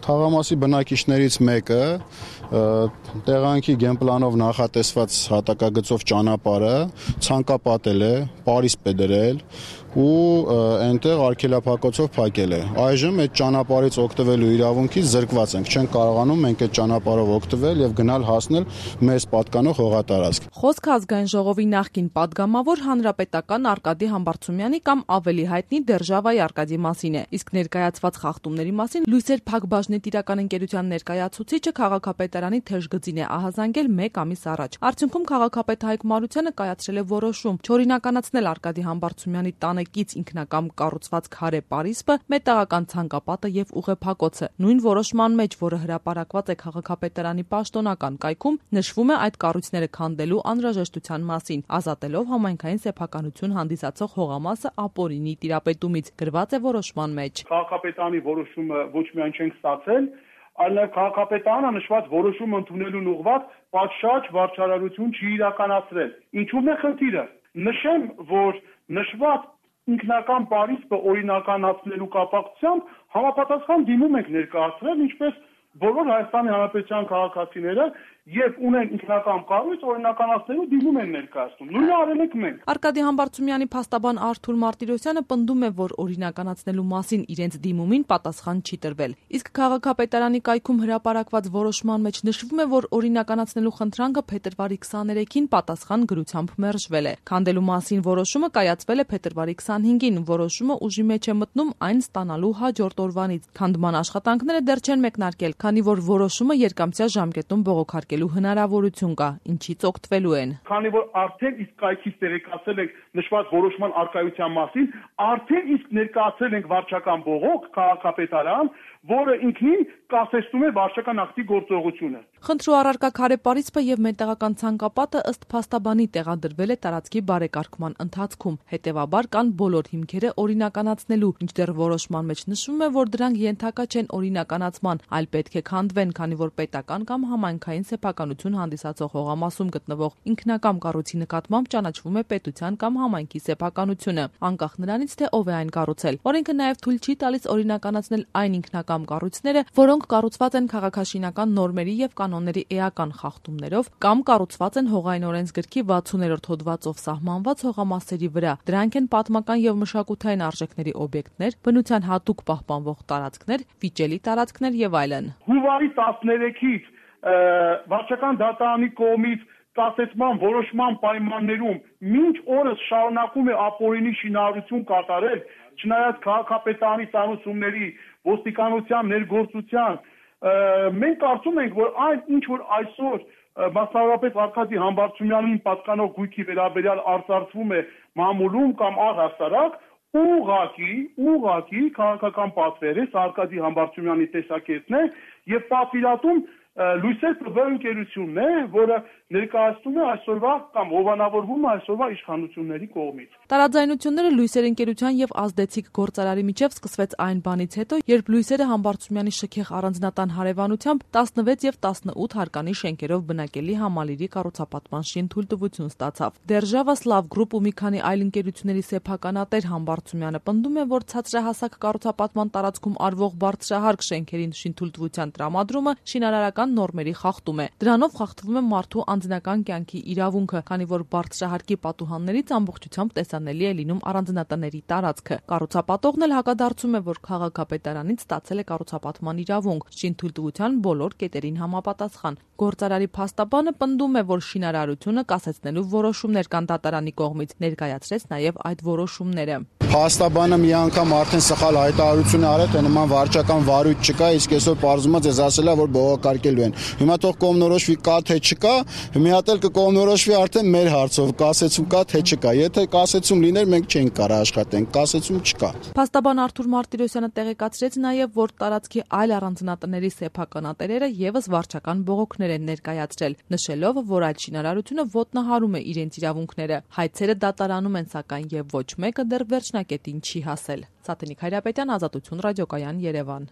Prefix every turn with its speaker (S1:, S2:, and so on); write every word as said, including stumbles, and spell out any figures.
S1: Թաղամասի բնակիչներից մեկը տեղանքի գենպլանով նախատեսված հատակագծով ճանապարհը ցանկապատել է, պարիսպ է դրել ու այնտեղ արգելափակոցով փակել է։ Այժմ այդ ճանապարհից օգտվելու իրավունքից զրկված ենք, չենք կարողանում մենք այդ ճանապարհով օգտվել եւ գնալ հասնել մեզ պատկանող հողատարածք։
S2: Խոսքը ազգային ժողովի նախկին падգամավոր հանրապետական Արկադի Համբարձումյանի կամ ավելի հայտնի Դերժավայի Արկադի մասին է։ Իսկ ներկայացված խախտումների մասին Լույսեր Փակbaşնի տիրական ընկերության ներկայացուցիչը քաղաքապետարանի թեժգծին է ահազանգել մեկ ամիս առաջ։ Արդյունքում քաղաքապետ Հայկ Մարությանը կայացրել է որոշում չօրինականացնել Արկադի Համբարձումյանի տանեկից ինքնակամ կառուցված քարե պարիսպը, մետաղական ցանկապատը եւ ուղեփակոցը։ Նույն որոշման մեջ, որը հրապարակված է քաղաքապետարանի պաշտոնական կայքում, նշվում է այդ կառույցները քանդելու անհրաժեշտության մասին, ազատելով համայնքային սեփականություն հանդիսացող հողամասը ապօրինի տիրապետումից, գրված է որոշման մեջ։
S3: Քաղաքապետարանի որոշումը ոչ միայն չենք ստացել, այլ նաև քաղաքապետարանը նշված որոշումը ընդունելուն ուղղված պատշաճ վարչարարություն չի իրականացրել։ Ինչու՞մ է խնդիրը։ Նշեմ, որ նշված ինքնական պարիսպը օրինականացնելու կապակցությամբ համապատասխան դիմում ենք ներկայացրել, ինչպես բոլոր Հայաստանի Հանրապետության քաղաքացիները եւ ունեն ինքնական կառույց օրինականացնելու դիմում են ներկայացնում։ Նույնը արել ենք մենք։
S2: Արկադի Համբարձումյանի փաստաբան Արթուր Մարտիրոսյանը պնդում է, որ օրինականացնելու մասին իրենց դիմումին պատասխան չի տրվել։ Իսկ քաղաքապետարանի կայքում հրապարակված որոշման մեջ նշվում է, որ օրինականացնելու խնդրանքը փետրվարի քսաներեքին պատասխան գրությամբ մերժվել է։ Քանդելու մասին որոշումը կայացվել է փետրվարի քսանհինգին։ Որոշումը ուժի մեջ է մտնում այն ստանալու հաջորդ օրվանից։ Քանդման աշխատանքները դեռ չեն մեկնարկել, քանի որ որոշումը երկամսյա ժամկետում բողոքարկելու հնարավորություն կա, ինչից օգտվելու են։
S3: Քանի որ արդեն իսկ կայքից տեղեկացել ենք նշված որոշման արկայության մասին, արդեն իսկ ներկայացել ենք վարչական բողոք քաղաքապետարան, որը ինքնին կասեցնում է վարչական ակտի գործողությունը։
S2: Խնդրու առարկա քարե պարիսպը եւ մետաղական ցանկապատը ըստ փաստաբանի տեղադրվել է տարածքի բարեկարգման ընթացքում։ Հետևաբար կան բոլոր հիմքերը օրինականացնելու, ինչդեռ որոշման մեջ նշվում է, որ դրանք ենթակա չեն օրինականացման, այլ պետք է քանդվեն, քանի որ պետական կամ համայնքային սեփականություն հանդիսացող հողամասում գտնվող ինքնակամ կառույցի նկատմամբ ճանաչվում է պետության կամ համայնքի սեփականությունը, անկախ նրանից, թե ով է այն կառուցել։ Օրենքը նաեւ թույլ չի տալիս օրինականացնել այն ինքնակամ կառույցները, որոնք կառուցված են քաղաքաշինական նորմերի եւ կանոնների էական խախտումներով կամ կառուցված են հողային օրենսգրքի վաթսուներորդ հոդվածով սահմանված հողամասերի վրա։ Դրանք են պատմական եւ մշակութային արժեքների օբյեկտներ, բնության հատուկ պահպանվող տարածքներ, վիճելի տարածքներ եւ այլն։
S3: Հունվարի տասներեքից վարչական դատարանի կողմից կասեցման որոշման պայմաններում մինչ օրս շարունակում է ապօրինի շինարարություն կատարել, չնայած քաղաքապետարանի ծանուցումների, ոստիկանության ներգործության, մենք կարծում ենք, որ այն ինչ որ այսօր մասնավորապես Արկադի Համբարձումյանին պատկանող գույքի վերաբերյալ արձարծվում է մամուլում կամ առհասարակ, ուղղակի, ուղղակի քաղաքական պատվեր է, Արկադի Համբարձումյանի տեսակետն է եւ պատվիրատում Լույսեր Փակbaşնի ընկերությունն է, որը ներկայացնում է այսօրվա կամ հովանավորվում է այսօրվա իշխանությունների կողմից։
S2: Տարաձայնությունները Լույսեր ընկերության եւ ազդեցիկ գործարարի միջև սկսվեց այն բանից հետո, երբ Լույսերը Համբարձումյանի շքեղ առանձնատան հարևանությամբ տասնվեց եւ տասնութ հարկանի շենքերով բնակելի համալիրի կառուցապատման շինթույլտվություն ստացավ։ Դերժավա Սլավ գրուպ ու մի քանի այլ ընկերությունների սեփականատեր Համբարձումյանը պնդում է, որ ցածրահասակ կառուցապատման տարածքում արվող բարձրահարկ շենքերին շինթույլտվության տրամադրումը շինարարական նորմերի խախտում է։ Դրանով խախտվում է մարդու անձնական կյանքի իրավունքը, քանի որ բարձրահարկի պատուհաններից ամբողջությամբ տեսանելի է լինում առանձնատների տարածքը։ Կառուցապատողն էլ հակադարձում է, որ քաղաքապետարանից ստացել է կառուցապատման իրավունք, շինթույլտվության բոլոր կետերին համապատասխան։ Գործարարի փաստաբանը պնդում է, որ շինարարությունը կասեցնելու որոշումներ կան դատարանի կողմից, ներկայացրեց նաև այդ որոշումները։
S1: Փաստաբանը մի անգամ արդեն սխալ հայտարարություն արել, թե նման վարչական վարույթ չկա, իսկ այսօր պարզվում է ձեզ ասել է, որ բողոքարկելու են։ Հիմա թող կողմնորոշվի կա թե չկա, մի հատ էլ կկողմնորոշվի արդեն մեր հարցով, կասեցում կա թե չկա։ Եթե կասեցում լիներ, մենք չենք կարող աշխատենք, կասեցում չկա։
S2: Փաստաբան Արթուր Մարտիրոսյանը տեղեկացրեց նաև, որ տարածքի այլ առանձնատների սեփականատերերը եւս վարչական բողոքներ են ներկայացրել, նշելով, որ այդ շինարարությունը ոտնահարում է իրենց իրավունքները։ Հայցերը դատարանում են, սակայն եւ ոչ մեկը դեռ վերջնակետին չի հասել։ Սաթենիկ Հայրապետյան, Ազատություն ռադիոկայան, Երևան։